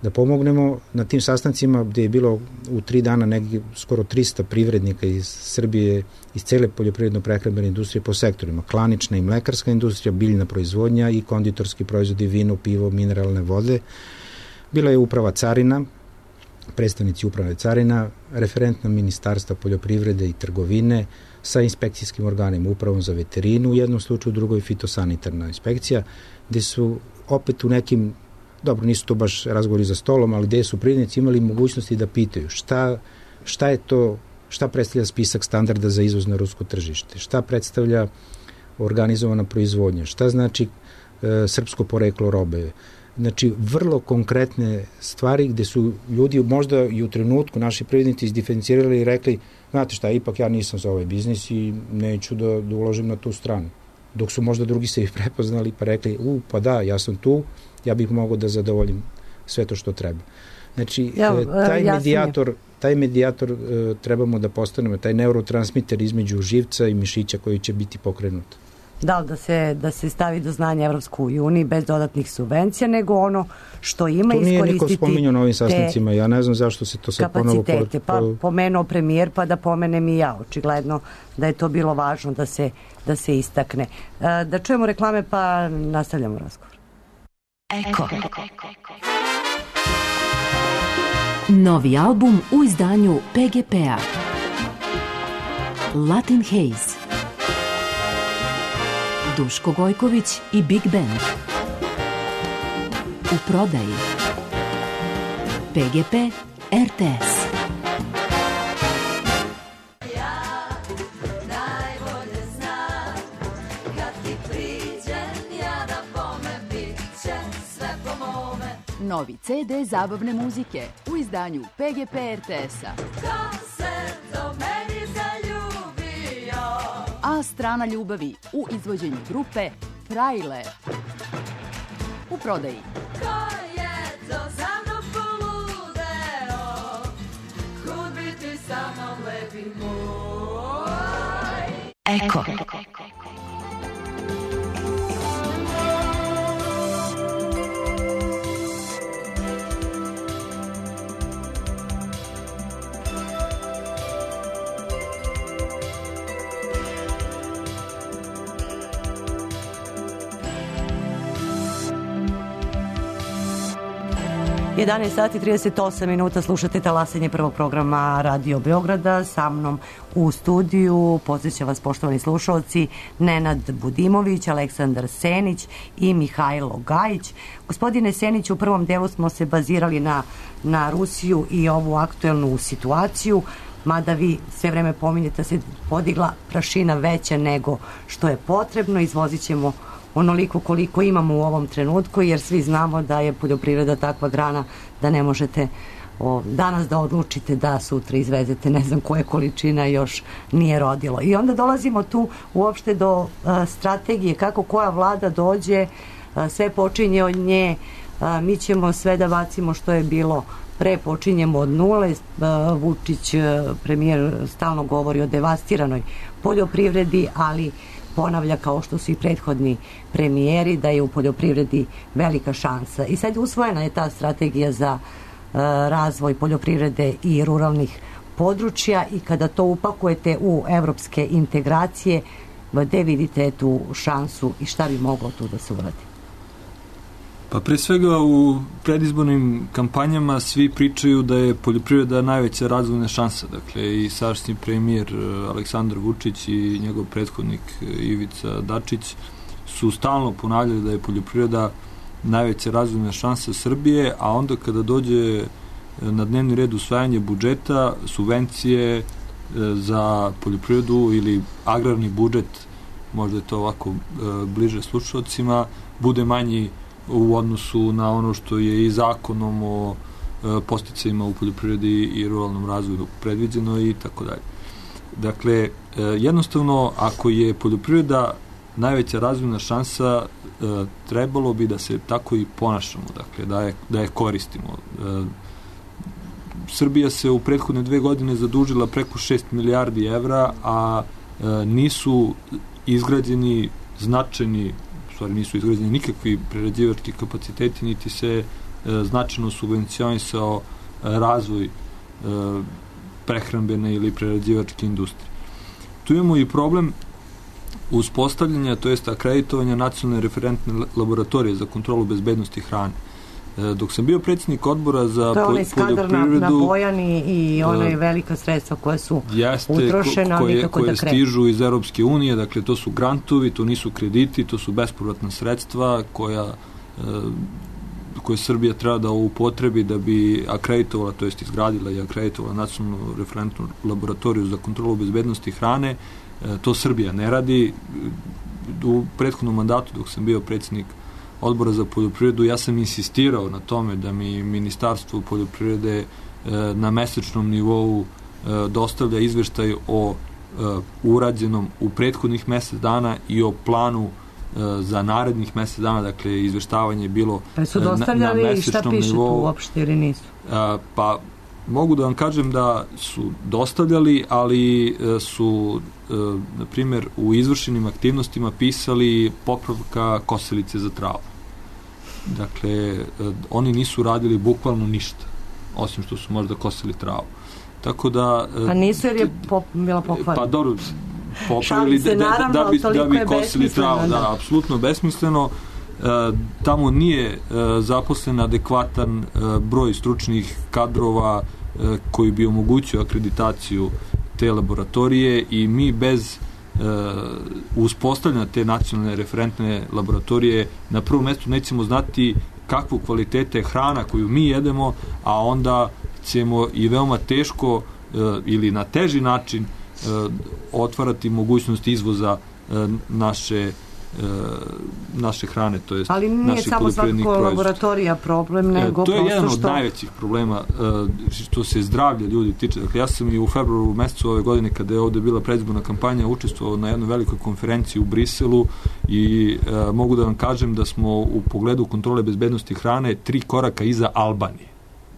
Da pomognemo na tim sastancima gde je bilo u tri dana negdje skoro trista privrednika iz Srbije, iz cele poljoprivredno-prehrambene industrije po sektorima. Klanična i mlekarska industrija, biljna proizvodnja i konditorski proizvodi, vino, pivo, mineralne vode. Bila je uprava carina, predstavnici uprave carina, referentna ministarstva poljoprivrede i trgovine sa inspekcijskim organima, upravom za veterinu, u jednom slučaju, u drugoj fitosanitarna inspekcija, gde su opet u nekim, dobro, nisu to baš razgovori za stolom, ali gde su privrednici imali mogućnosti da pitaju šta, šta je to, šta predstavlja spisak standarda za izvoz na rusko tržište, šta predstavlja organizovana proizvodnja, šta znači e, srpsko poreklo robe. Znači, vrlo konkretne stvari gde su ljudi možda i u trenutku naši privrednici izdiferencirali i rekli, znate šta, ipak ja nisam za ovaj biznis i neću da, da uložim na tu stranu. Dok su možda drugi se i prepoznali pa rekli, u, pa da, ja sam tu, ja bih mogao da zadovoljim sve to što treba. Znači, ja, taj medijator, taj medijator uh, trebamo da postanemo, taj neurotransmiter između živca i mišića koji će biti pokrenut. Da li da se, da se stavi do znanja Evropskoj uniji bez dodatnih subvencija, nego ono što ima iskoristiti... To nije niko spominjao na ovim sastancima, ja ne znam zašto se to sad ponovo... Kapacitete, pa pomenuo premijer, pa da pomenem i ja. Očigledno da je to bilo važno da se, da se istakne. Da čujemo reklame, pa nastavljamo razgovor. Eko. Novi album u izdanju P G P-a. Latin Haze. Duško Gojković i Big Band. U prodaji. P G P R T S. Novi C D zabavne muzike u izdanju P G P R T S-a. A strana ljubavi u izvođenju grupe Frajle. U prodaji. Ko je to za mnom poludeo? Kud biti sa mnom lepi moj? Eko. jedanaest sati trideset osam minuta, slušate talasanje prvog programa Radio Beograda. Sa mnom u studiju podsjeća vas, poštovani slušalci, Nenad Budimović, Aleksandar Senić i Mihajlo Gajić. Gospodine Senić, u prvom delu smo se bazirali na, na Rusiju i ovu aktuelnu situaciju, mada vi sve vreme pominjete da se podigla prašina veća nego što je potrebno. Izvozit ćemo onoliko koliko imamo u ovom trenutku, jer svi znamo da je poljoprivreda takva grana da ne možete o, danas da odlučite da sutra izvezete ne znam koje količina još nije rodilo. I onda dolazimo tu uopšte do a, strategije kako koja vlada dođe, a, sve počinje od nje, a, mi ćemo sve da bacimo što je bilo pre, počinjemo od nule. a, Vučić, a, premijer, stalno govori o devastiranoj poljoprivredi, ali ponavlja, kao što su i prethodni premijeri, da je u poljoprivredi velika šansa. I sad usvojena je ta strategija za uh, razvoj poljoprivrede i ruralnih područja, i kada to upakujete u evropske integracije, gde vidite tu šansu i šta bi moglo tu da se uradi? Pa pre svega u predizbornim kampanjama svi pričaju da je poljoprivreda najveća razvojna šansa. Dakle, i sadašnji premijer Aleksandar Vučić i njegov prethodnik Ivica Dačić su stalno ponavljali da je poljoprivreda najveća razvojna šansa Srbije, a onda kada dođe na dnevni red usvajanje budžeta, subvencije za poljoprivredu ili agrarni budžet, možda je to ovako bliže slušalcima, bude manji u odnosu na ono što je i zakonom o e, posticajima u poljoprivredi i ruralnom razvoju predviđeno i tako dalje. Dakle, e, jednostavno, ako je poljoprivreda najveća razvojna šansa, e, trebalo bi da se tako i ponašamo, dakle, da je, da je koristimo. E, Srbija se u prethodne dve godine zadužila preko šest milijardi evra, a e, nisu izgrađeni značajni stvari nisu izgrađeni nikakvi prerađivački kapaciteti, niti se e, značajno subvencionisao e, razvoj e, prehrambene ili prerađivačke industrije. Tu imamo i problem uspostavljanja, to jest akreditovanja nacionalne referentne laboratorije za kontrolu bezbednosti hrane. E, dok sam bio predsjednik odbora za poljoprivredu... To je onaj skandar na, na Bojani i onaj velika sredstva koja su jeste, utrošena, ko, koje, nikako koje da krenu. Stižu iz Europske unije, dakle to su grantovi, to nisu krediti, to su bespovratna sredstva koja, e, koje Srbija treba da upotrebi da bi akreditovala, to jest izgradila i akreditovala nacionalnu referentnu laboratoriju za kontrolu bezbednosti hrane. E, to Srbija ne radi. u prethodnom mandatu dok sam bio predsjednik Odbora za poljoprivredu, ja sam insistirao na tome da mi Ministarstvo poljoprivrede na mesečnom nivou dostavlja izveštaj o urađenom u prethodnih mesec dana i o planu za narednih mesec dana, dakle izveštavanje je bilo pa su dostavljali na, na mesečnom nivou. Šta piše tu uopšte ili nisu? Pa mogu da vam kažem da su dostavljali, ali su na primjer u izvršenim aktivnostima pisali popravka kosilice za travu. Dakle, oni nisu radili bukvalno ništa, osim što su možda kosili travu. Tako da... Pa nisu jer je pop, bila pokvarna. Pa dobro, popravili da, da, da, bi, da bi kosili travu. Da, da, apsolutno besmisleno. E, tamo nije e, zaposlen adekvatan e, broj stručnih kadrova e, koji bi omogućio akreditaciju te laboratorije i mi bez e, uspostavljanja te nacionalne referentne laboratorije na prvom mjestu nećemo znati kakvu kvalitete hrana koju mi jedemo, a onda ćemo i veoma teško e, ili na teži način e, otvarati mogućnost izvoza e, naše naše hrane, to jest ali nije samo svakako laboratorija problem, nego to je jedan od što... najvećih problema što se zdravlja ljudi tiče. Dakle, ja sam i u februaru mesecu ove godine, kada je ovde bila predizborna kampanja, učestvovao na jednoj velikoj konferenciji u Briselu i e, mogu da vam kažem da smo u pogledu kontrole bezbednosti hrane tri koraka iza Albanije.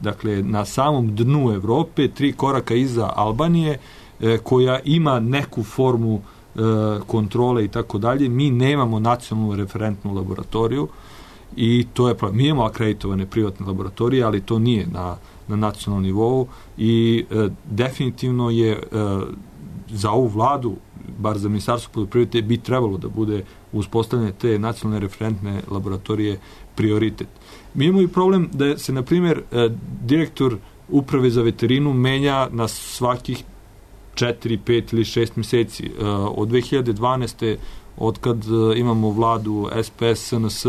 Dakle, na samom dnu Evrope, tri koraka iza Albanije, e, koja ima neku formu kontrole i tako dalje. Mi nemamo nacionalnu referentnu laboratoriju i to je problem. Mi imamo akreditovane privatne laboratorije, ali to nije na, na nacionalnom nivou i e, definitivno je e, za ovu vladu, bar za Ministarstvo poljoprivrede, bi trebalo da bude uspostavljanje te nacionalne referentne laboratorije prioritet. Mi imamo i problem da se, na primjer, e, direktor Uprave za veterinu menja na svakih četiri, pet ili šest mjeseci. Od dve hiljade dvanaeste od kad imamo vladu S P S S N S,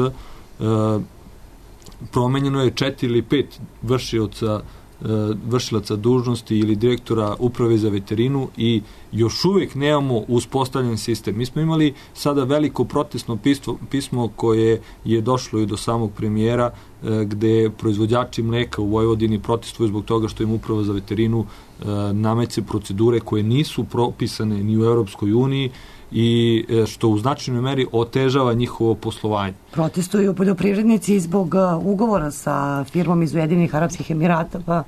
promenjeno je četiri ili pet vršioca vršilaca dužnosti ili direktora Uprave za veterinu i još uvijek nemamo uspostavljen sistem. Mi smo imali sada veliko protestno pismo, pismo koje je došlo i do samog premijera, gde proizvođači mleka u Vojvodini protestuju zbog toga što im Uprava za veterinu nameće procedure koje nisu propisane ni u Europskoj uniji i što u značajnoj meri otežava njihovo poslovanje. Protestuju poljoprivrednici zbog ugovora sa firmom iz Ujedinjenih Arapskih Emirata, pa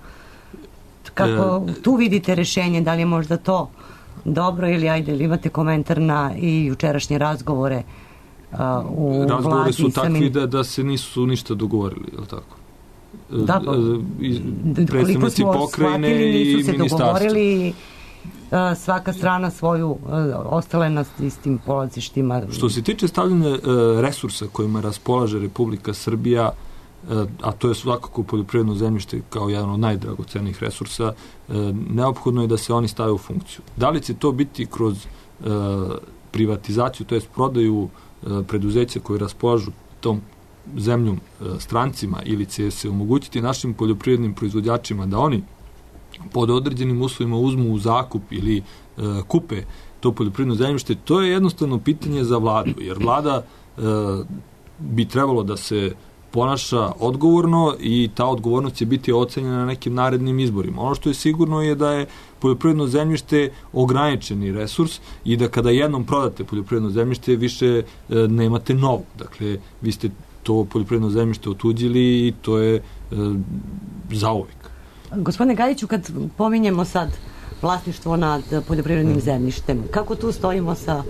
kako e, tu vidite rešenje, da li je možda to dobro ili ajde, ili imate komentar na i jučerašnje razgovore uh, u razgovore vladi? Su takvi samim... da, da se nisu ništa dogovorili, je li tako? Da, pa, predstavnici pokrajine i nisu se ministarstva. Dogovorili, svaka strana svoju, ostala je na istim polazištima. Što se tiče stavljanja resursa kojima raspolaže Republika Srbija, a to je svakako poljoprivredno zemljište kao jedan od najdragocenijih resursa, neophodno je da se oni stave u funkciju. Da li će to biti kroz privatizaciju, to jest prodaju preduzeća koje raspolažu tom zemljom strancima, ili će se omogućiti našim poljoprivrednim proizvođačima da oni pod određenim uslovima uzmu u zakup ili e, kupe to poljoprivredno zemljište, to je jednostavno pitanje za vladu, jer vlada e, bi trebalo da se ponaša odgovorno i ta odgovornost će biti ocenjena na nekim narednim izborima. Ono što je sigurno je da je poljoprivredno zemljište ograničeni resurs i da kada jednom prodate poljoprivredno zemljište više e, nemate novo. Dakle, vi ste to poljoprivredno zemljište otuđili i to je e, zauvek. Gospodine Gajiću, kad pominjemo sad vlasništvo nad poljoprivrednim zemljištem, kako tu stojimo sa,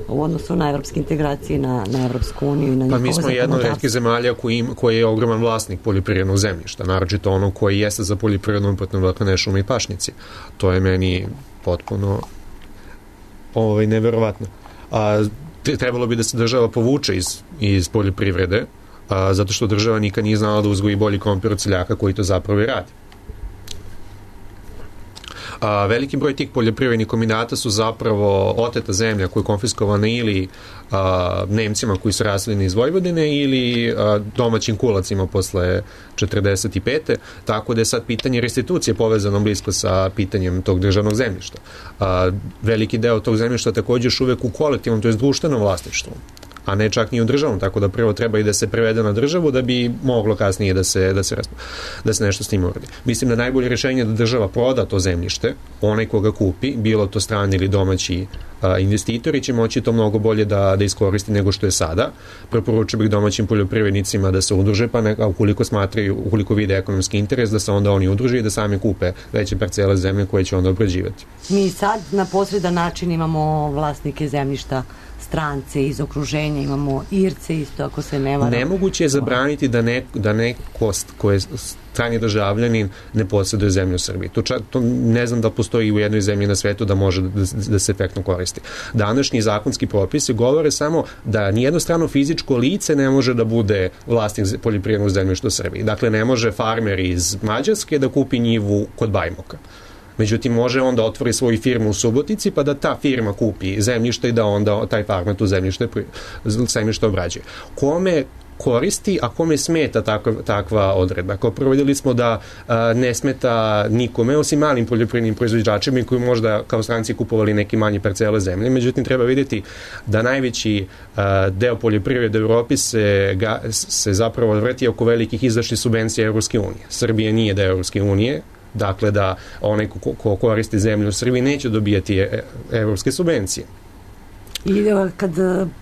u odnosu na evropske integracije, na, na Evropsku uniju i na njihovo zakonodavstvo? Pa mi smo jedna od retkih zemalja koji, koji je ogroman vlasnik poljoprivrednog zemljišta, naročito ono koji jeste za poljoprivrednom upotrebom, dakle ne šume i pašnjaci. To je meni potpuno ovaj, neverovatno. A, trebalo bi da se država povuče iz, iz poljoprivrede, a, zato što država nikad nije znala da uzgoji bolji krompir od seljaka koji to zapravo i radi. A, veliki broj tih poljoprivrednih kombinata su zapravo oteta zemlja koja je konfiskovana ili a, Nemcima koji su raseljeni iz Vojvodine ili a, domaćim kulacima posle četrdeset pete. Tako da je sad pitanje restitucije povezano blisko sa pitanjem tog državnog zemljišta. A, veliki deo tog zemljišta takođe još uvek u kolektivnom, to je društvenom vlasništvu, a ne čak ni u državnom, tako da prvo treba i da se prevede na državu da bi moglo kasnije da se, da se, da se nešto s tim uradi. Mislim da najbolje rješenje je da država proda to zemljište, onaj koga kupi, bilo to strani ili domaći a, investitori, će moći to mnogo bolje da, da iskoristi nego što je sada. Preporučio bih domaćim poljoprivrednicima da se udruže, pa ne, a ukoliko smatraju, ukoliko vide ekonomski interes, da se onda oni udruže i da sami kupe veće parcele zemlje koje će onda obrađivati. Mi sad na posredan način imamo vlasnike zemljišta, strance iz okruženja, imamo Irce isto, ako se ne varam. Nemoguće je zabraniti da, ne, da neko ko je strani državljanin ne posjeduje zemlju u Srbiji. To, čak, to ne znam da postoji u jednoj zemlji na svetu da može da, da se efektno koristi. Današnji zakonski propisi govore samo da nijedno strano fizičko lice ne može da bude vlasnik poljoprivrednog zemljišta u Srbiji. Dakle, ne može farmer iz Mađarske da kupi njivu kod Bajmoka. Međutim, može onda otvori svoju firmu u Subotici pa da ta firma kupi zemljište i da onda taj farmer tu zemljište, zemljište obrađuje. Kome koristi, a kome smeta takva, takva odredba? Kao prvo vidjeli smo da a, ne smeta nikome, osim malim poljoprivrednim proizvođačima koji možda kao stranci kupovali neki manji parcele zemlje. Međutim, treba vidjeti da najveći a, deo poljoprivrede u Evropi se, ga, se zapravo vrti oko velikih izdašnih subvencija Evropske unije. Srbija nije deo Evropske unije, dakle da onaj ko, ko koristi zemlju u Srbiji neće dobijati evropske subvencije. I kad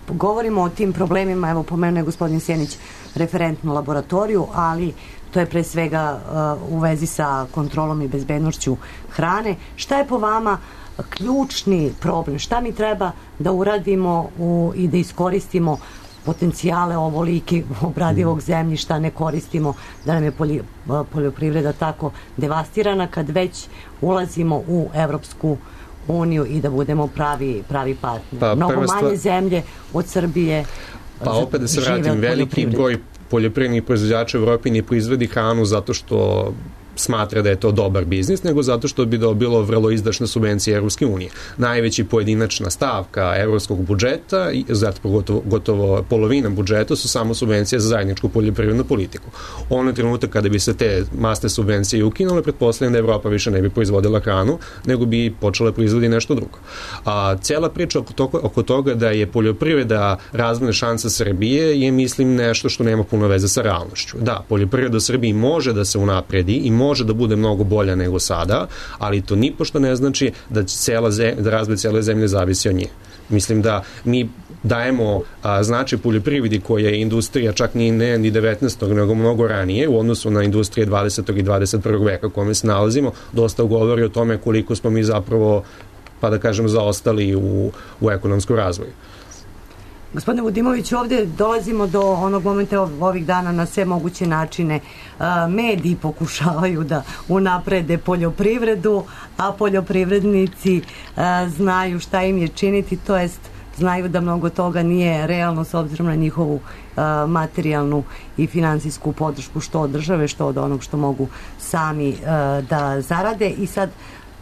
govorimo o tim problemima, evo pomenuo je gospodin Sjenić referentnu laboratoriju, ali to je pre svega uh, u vezi sa kontrolom i bezbednošću hrane. Šta je po vama ključni problem? Šta mi treba da uradimo u, i da iskoristimo potencijale ovolike obradivog zemljišta, ne koristimo, da nam je polji, poljoprivreda tako devastirana kad već ulazimo u Evropsku uniju i da budemo pravi, pravi partner. Pa, mnogo manje stvar... zemlje od Srbije. Pa opet da se vratim, veliki broj poljoprivrednih proizvođača u Evropi ne proizvodi hranu zato što smatra da je to dobar biznis, nego zato što bi dobilo vrlo izdašne subvencije Evropske unije. Najveći pojedinačna stavka evropskog budžeta, zato gotovo, gotovo polovina budžeta su samo subvencije za zajedničku poljoprivrednu politiku. Ono trenutak kada bi se te masne subvencije ukinule, pretpostavljam da Evropa više ne bi proizvodila hranu, nego bi počela proizvodi nešto drugo. A cijela priča oko toga, oko toga da je poljoprivreda razvojna šansa Srbije je, mislim, nešto što nema puno veze sa realnošću. Da, poljoprivreda u Srbiji može da se unapredi i može da bude mnogo bolja nego sada, ali to nipošto ne znači da će cela zemlja, da razvoj cele zemlje zavisi od nje. Mislim da mi dajemo a, značaj poljoprivredi koja je industrija čak ni ne ni devetnaestog nego mnogo ranije u odnosu na industrije dvadesetog i dvadeset prvog veka u kome se nalazimo, dosta govori o tome koliko smo mi zapravo, pa da kažem, zaostali u, u ekonomskom razvoju. Gospodine Vudimović, ovdje dolazimo do onog momenta ovih dana na sve moguće načine. Mediji pokušavaju da unaprede poljoprivredu, a poljoprivrednici znaju šta im je činiti, to jest znaju da mnogo toga nije realno s obzirom na njihovu materijalnu i finansijsku podršku što od države, što od onog što mogu sami da zarade, i sad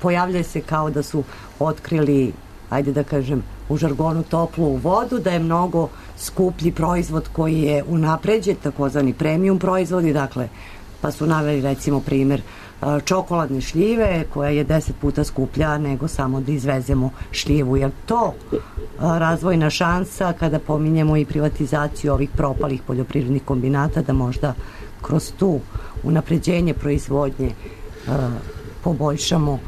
pojavljaju se kao da su otkrili, ajde da kažem, u žargonu toplu vodu, da je mnogo skuplji proizvod koji je unapređen, takozvani premium proizvodi, dakle, pa su naveli recimo primjer čokoladne šljive koja je deset puta skuplja nego samo da izvezemo šljivu. Je to razvojna šansa kada pominjemo i privatizaciju ovih propalih poljoprivrednih kombinata, da možda kroz tu unapređenje proizvodnje poboljšamo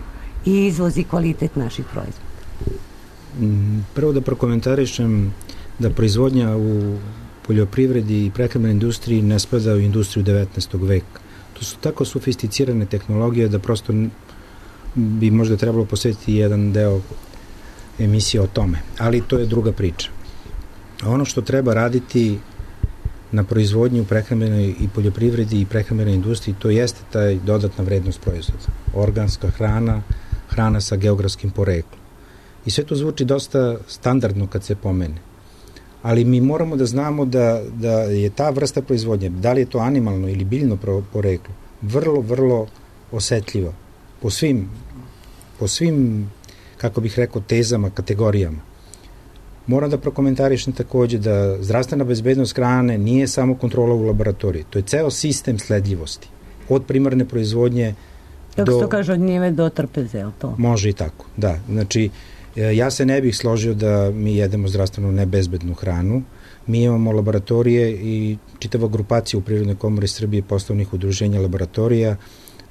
i izvoz i kvalitet naših proizvoda? Prvo da prokomentarišem da proizvodnja u poljoprivredi i prehrambenoj industriji ne spada u industriju devetnaestog veka. To su tako sofisticirane tehnologije da prosto bi možda trebalo posvetiti jedan deo emisije o tome. Ali to je druga priča. Ono što treba raditi na proizvodnji u prehrambenoj i poljoprivredi i prehrambenoj industriji, to jeste taj dodatna vrednost proizvoda. Organska hrana, hrana sa geografskim poreklom. I sve to zvuči dosta standardno kad se pomene. Ali mi moramo da znamo da, da je ta vrsta proizvodnje, da li je to animalno ili biljno poreklo, vrlo, vrlo osetljiva po svim po svim, kako bih rekao, tezama, kategorijama. Moram da prokomentarišem takođe da zdravstvena bezbednost hrane nije samo kontrola u laboratoriji. To je ceo sistem sledljivosti. Od primarne proizvodnje Kako do... se to kaže, od njive do trpeze, je li to? Može i tako, da. Znači, ja se ne bih složio da mi jedemo zdravstveno nebezbednu hranu. Mi imamo laboratorije i čitava grupacija u Privrednoj komori Srbije poslovnih udruženja laboratorija.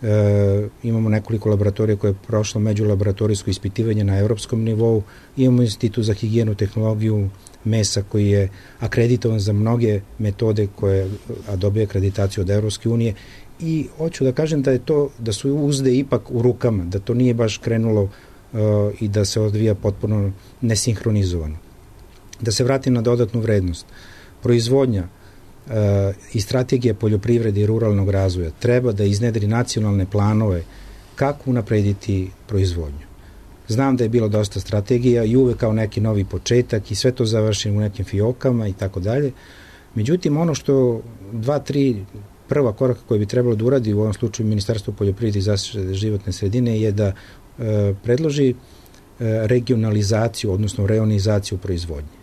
E, imamo nekoliko laboratorija koje je prošlo međulaboratorijsko ispitivanje na evropskom nivou. Imamo Institut za higijenu, tehnologiju mesa koji je akreditovan za mnoge metode koje a dobije akreditaciju od Evropske unije. I hoću da kažem da je to, da su uzde ipak u rukama, da to nije baš krenulo uh, i da se odvija potpuno nesinhronizovano. Da se vratim na dodatnu vrednost. Proizvodnja uh, i strategija poljoprivrede i ruralnog razvoja treba da iznedri nacionalne planove kako unaprediti proizvodnju. Znam da je bilo dosta strategija i uvek kao neki novi početak i sve to završi u nekim fiokama i tako dalje. Međutim, ono što dva, tri prva koraka koja bi trebalo da uradi u ovom slučaju Ministarstvo poljoprivrede i zaštite životne sredine je da e, predloži e, regionalizaciju, odnosno reonizaciju proizvodnje.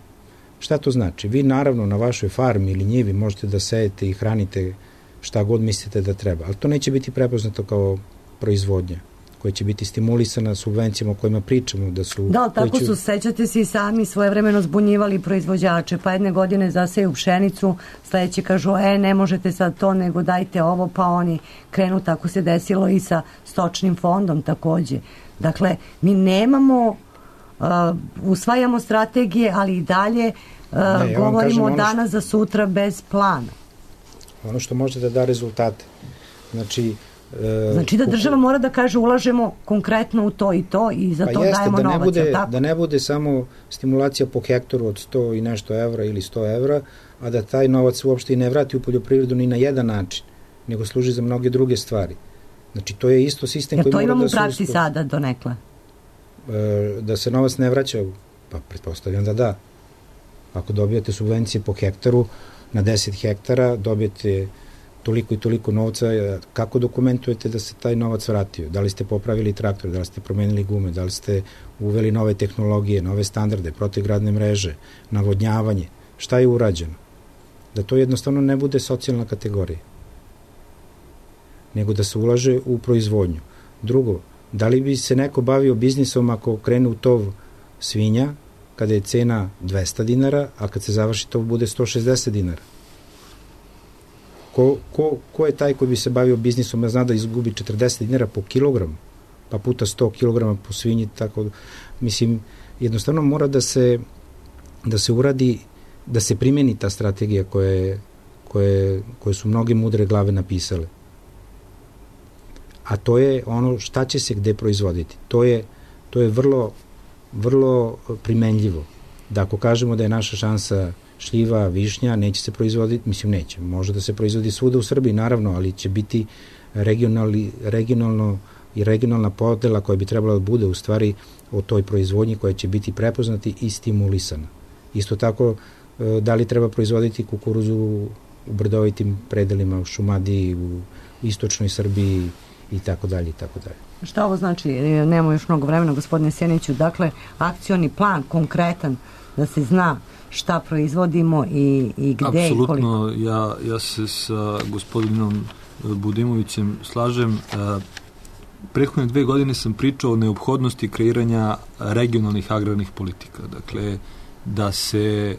Šta to znači? Vi naravno na vašoj farmi ili njivi možete da sejete i hranite šta god mislite da treba, ali to neće biti prepoznato kao proizvodnja koja će biti stimulisana subvencijama o kojima pričamo. Da, su, da, tako će... su, sećate se i sami svojevremeno zbunjivali proizvođače, pa jedne godine zaseju pšenicu, sledeće kažu, e, ne možete sad to, nego dajte ovo, pa oni krenu, tako se desilo i sa stočnim fondom takođe. Dakle, mi nemamo, uh, usvajamo strategije, ali i dalje uh, ne, govorimo od danas što... za sutra bez plana. Ono što može da da rezultate. Znači, Znači da država mora da kaže ulažemo konkretno u to i to i za to pa jeste, dajemo da ne novac. Bude, tako? Da ne bude samo stimulacija po hektaru od sto i nešto evra ili sto evra, a da taj novac uopšte i ne vrati u poljoprivredu ni na jedan način, nego služi za mnoge druge stvari. Znači to je isto sistem Jer koji mora da se... to imamo u praksi sada donekle? Da se novac ne vraća, pa pretpostavljam da da. Ako dobijete subvencije po hektaru, na deset hektara dobijete toliko i toliko novca, kako dokumentujete da se taj novac vratio? Da li ste popravili traktor, da li ste promenili gume, da li ste uveli nove tehnologije, nove standarde, protivgradne mreže, navodnjavanje? Šta je urađeno? Da to jednostavno ne bude socijalna kategorija, nego da se ulaže u proizvodnju. Drugo, da li bi se neko bavio biznisom ako krene u tov svinja, kada je cena dvesta dinara, a kad se završi tov bude sto šezdeset dinara? Ko, ko, ko je taj koji bi se bavio biznisom, ja zna da izgubi četrdeset dinara po kilogramu, pa puta sto kilograma po svinji, tako, mislim, jednostavno mora da se, da se uradi, da se primeni ta strategija koje, koje, koje su mnoge mudre glave napisale. A to je ono šta će se gde proizvoditi. To je, to je vrlo, vrlo primenljivo. Da ako kažemo da je naša šansa šljiva, višnja, neće se proizvoditi, mislim neće, može da se proizvodi svuda u Srbiji, naravno, ali će biti regionalni, regionalno i regionalna podela koja bi trebala da bude u stvari o toj proizvodnji koja će biti prepoznati i stimulisana. Isto tako, da li treba proizvoditi kukuruzu u brdovitim predelima, u Šumadiji, u istočnoj Srbiji i tako dalje i tako dalje. Šta ovo znači? Nemamo još mnogo vremena, gospodine Sjeniću. Dakle, akcioni plan konkretan da se zna šta proizvodimo i, i gde Apsolutno, i koliko. Apsolutno, ja, ja se sa gospodinom Budimovićem slažem. Prethodne dve godine sam pričao o neophodnosti kreiranja regionalnih agrarnih politika. Dakle, da se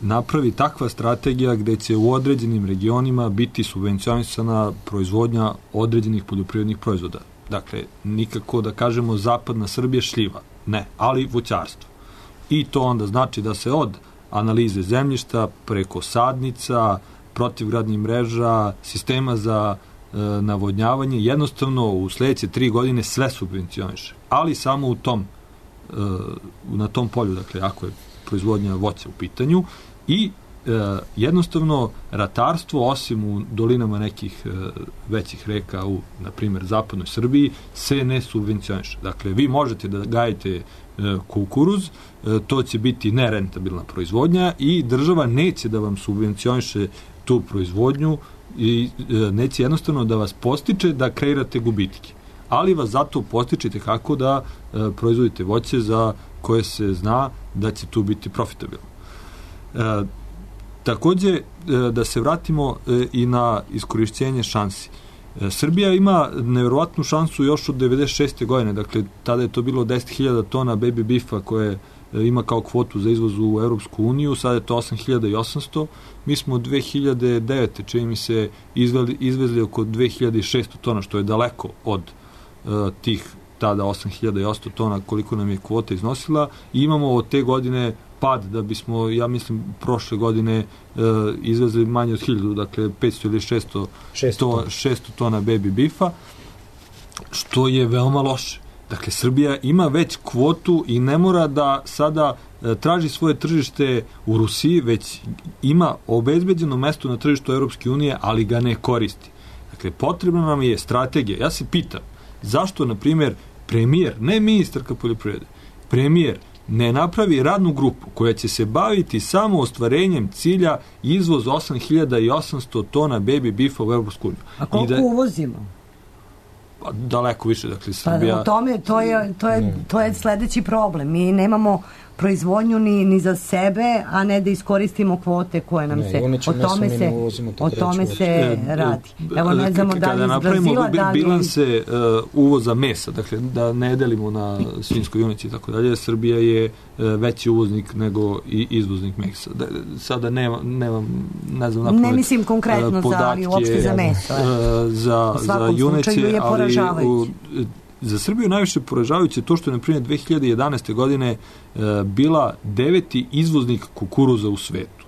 napravi takva strategija gde će u određenim regionima biti subvencionisana proizvodnja određenih poljoprivrednih proizvoda. Dakle, nikako da kažemo zapadna Srbija šljiva. Ne, ali voćarstvo. I to onda znači da se od analize zemljišta preko sadnica, protivgradnih mreža, sistema za e, navodnjavanje, jednostavno u sledeće tri godine sve subvencioniše. Ali samo u tom, e, na tom polju, dakle, ako je proizvodnja voća u pitanju i e, jednostavno ratarstvo, osim u dolinama nekih e, većih reka u, na primjer, zapadnoj Srbiji, se ne subvencioniše. Dakle, vi možete da gajite e, kukuruz, e, to će biti nerentabilna proizvodnja i država neće da vam subvencioniše tu proizvodnju i e, neće jednostavno da vas postiče da kreirate gubitke. ali vas zato postičite kako da e, proizvodite voće za koje se zna da će tu biti profitabilno. E, takođe, e, da se vratimo e, i na iskorišćenje šansi. E, Srbija ima nevjerovatnu šansu još od devedeset šeste godine, dakle, tada je to bilo deset hiljada tona baby beefa koje ima kao kvotu za izvoz u Europsku uniju, sada je to osam hiljada osamsto. Mi smo od dve hiljade devete. čini mi se izvezli, izvezli oko dve hiljade šesto tona, što je daleko od uh, tih tada osam hiljada osamsto tona koliko nam je kvota iznosila, i imamo od te godine pad da bismo, ja mislim, prošle godine uh, izvezli manje od hiljadu, dakle petsto ili šesto, to, šesto tona baby beefa, što je veoma loše. Dakle, Srbija ima već kvotu i ne mora da sada e, traži svoje tržište u Rusiji, već ima obezbeđeno mesto na tržištu Europske unije, ali ga ne koristi. Dakle, potrebna nam je strategija. Ja se pitam, zašto, na primjer, premijer, ne ministarka poljoprivrede, premijer ne napravi radnu grupu koja će se baviti samo ostvarenjem cilja izvoz osam hiljada osamsto tona baby beefa u Europsku uniju. A koliko da, uvozimo? Daleko više, dakle, Srbija... Pa u tome, to je, to je, to je sledeći problem. Mi nemamo proizvodnju ni, ni za sebe, a ne da iskoristimo kvote koje nam ne, se... O tome se, uvozimo, o tome se e, radi. Evo, ne znamo da li iz Brazila, da li... bilanse uh, uvoza mesa, dakle, da ne delimo na svinjsko junici i tako dalje, Srbija je uh, veći uvoznik nego i izvoznik mesa. Da, sada nema, nema, ne znam napomet... Ne mislim konkretno uh, za, ali uopšte za meso. Uh, za, za juneće, ali u, za Srbiju najviše poražavajuće to što je, na primjer, dve hiljade jedanaeste. godine e, bila deveti izvoznik kukuruza u svetu.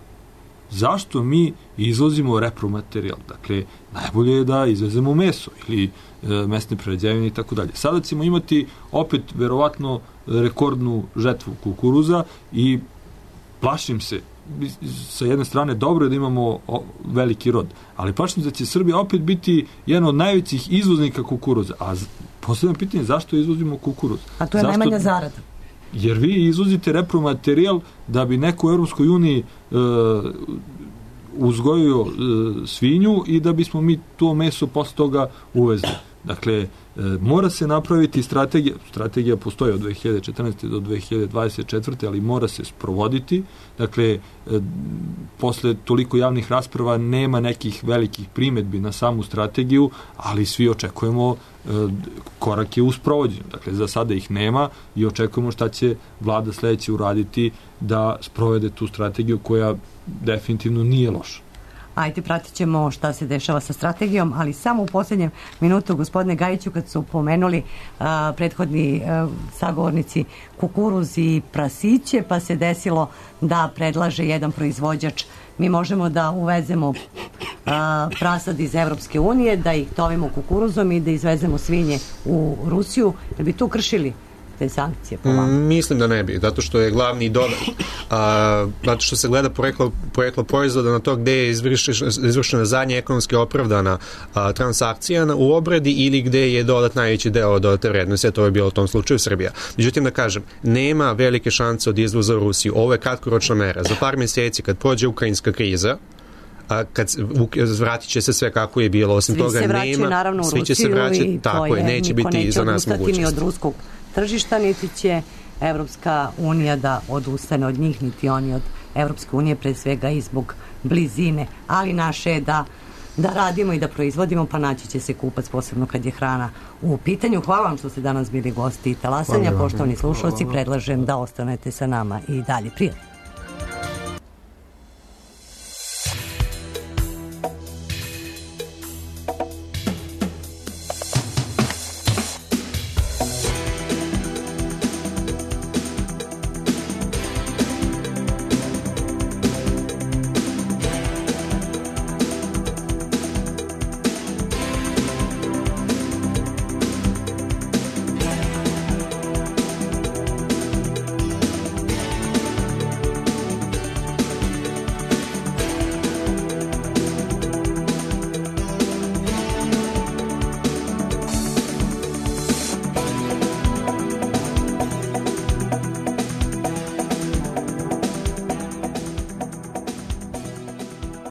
Zašto mi izvozimo repromaterijal? Dakle, najbolje je da izvezemo meso ili e, mesne prerađevine i tako dalje. Sada ćemo imati opet verovatno rekordnu žetvu kukuruza i plašim se, sa jedne strane dobro je da imamo veliki rod, ali plašim se da će Srbija opet biti jedan od najvećih izvoznika kukuruza. A posljedno pitanje, zašto izvozimo kukuruz? A to je zašto? Najmanja zarada. Jer vi izvozite repromaterijal da bi neko u Europskoj uniji e, uzgojio e, svinju i da bismo mi to meso posle toga uvezli. Dakle, e, mora se napraviti strategija, strategija postoji od dve hiljade četrnaeste. do dve hiljade dvadeset četvrte. ali mora se sprovoditi. Dakle, e, posle toliko javnih rasprava nema nekih velikih primedbi na samu strategiju, ali svi očekujemo e, korake u sprovođenju. Dakle, za sada ih nema i očekujemo šta će vlada sledeće uraditi da sprovede tu strategiju koja definitivno nije loša. Ajde, pratit ćemo šta se dešava sa strategijom, ali samo u posljednjem minutu, gospodine Gajiću, kad su pomenuli a, prethodni a, sagovornici kukuruz i prasiće, pa se desilo da predlaže jedan proizvođač, mi možemo da uvezemo a, prasad iz Evropske unije, da ih tovimo kukuruzom i da izvezemo svinje u Rusiju, da bi tu kršili te sankcije po vama? Mislim da ne bi, zato što je glavni dobar, a, zato što se gleda poreklo, poreklo proizvoda na to gde je izvršena, izvršena zadnja ekonomski opravdana a, transakcija na, u obradi ili gde je dodat najveći deo dodate vrednosti, a to je bilo u tom slučaju Srbija. Međutim, da kažem, nema velike šanse od izvoza u Rusiju. Ovo je kratkoročna mera. Za par mjeseci, kad prođe ukrajinska kriza, a kad vratit će se sve kako je bilo, osim svi toga se vraćaju, nema, naravno, u svi će se vraćati, tako je, neće biti neće za nas mogućnost. Ni od ruskog tržišta, niti će Evropska unija da odustane od njih, niti oni od Evropske unije, pre svega i zbog blizine, ali naše je da da radimo i da proizvodimo, pa naći će se kupac, posebno kad je hrana u pitanju. Hvala vam što ste danas bili gosti Talasanja. Poštovani slušalci, predlažem da ostanete sa nama i dalje. Prijatno.